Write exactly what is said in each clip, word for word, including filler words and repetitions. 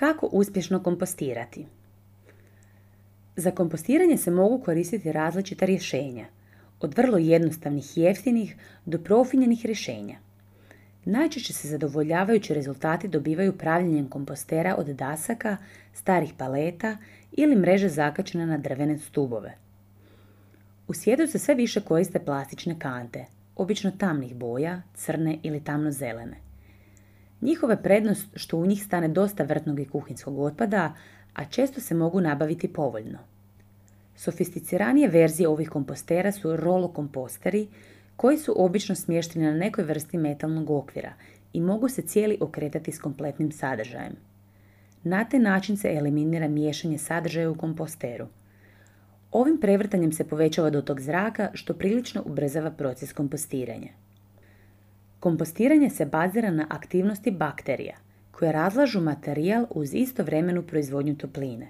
Kako uspješno kompostirati? Za kompostiranje se mogu koristiti različita rješenja, od vrlo jednostavnih i jeftinih do profinjenih rješenja. Najčešće se zadovoljavajući rezultati dobivaju pravljenjem kompostera od dasaka, starih paleta ili mreže zakačene na drvene stubove. U svijetu se sve više koriste plastične kante, obično tamnih boja, crne ili tamno-zelene. Njihova je prednost što u njih stane dosta vrtnog i kuhinjskog otpada, a često se mogu nabaviti povoljno. Sofisticiranije verzije ovih kompostera su rolo komposteri, koji su obično smješteni na nekoj vrsti metalnog okvira i mogu se cijeli okretati s kompletnim sadržajem. Na taj način se eliminira miješanje sadržaja u komposteru. Ovim prevrtanjem se povećava dotok zraka, što prilično ubrzava proces kompostiranja. Kompostiranje se bazira na aktivnosti bakterija, koje razlažu materijal uz istovremenu proizvodnju topline.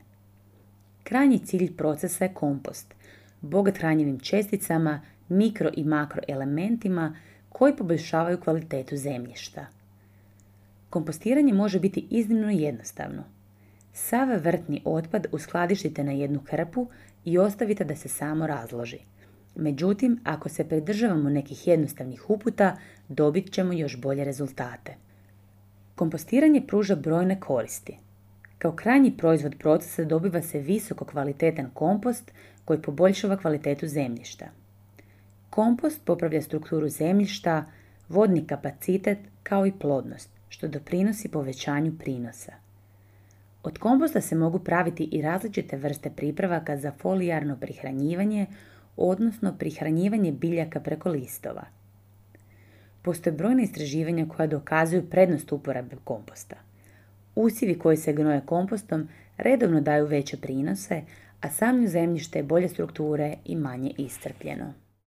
Krajnji cilj procesa je kompost, bogat hranjivim česticama, mikro i makroelementima koji poboljšavaju kvalitetu zemljišta. Kompostiranje može biti iznimno jednostavno. Sav vrtni otpad uskladištite na jednu hrpu i ostavite da se samo razloži. Međutim, ako se pridržavamo nekih jednostavnih uputa, dobit ćemo još bolje rezultate. Kompostiranje pruža brojne koristi. Kao krajnji proizvod procesa dobiva se visoko kvalitetan kompost koji poboljšava kvalitetu zemljišta. Kompost popravlja strukturu zemljišta, vodni kapacitet kao i plodnost, što doprinosi povećanju prinosa. Od komposta se mogu praviti i različite vrste pripravaka za folijarno prihranjivanje, odnosno prihranjivanje biljaka preko listova. Postoje brojne istraživanja koja dokazuju prednost uporabe komposta. Usjevi koji se gnoje kompostom redovno daju veće prinose, a samo zemljište je bolje strukture i manje iscrpljeno.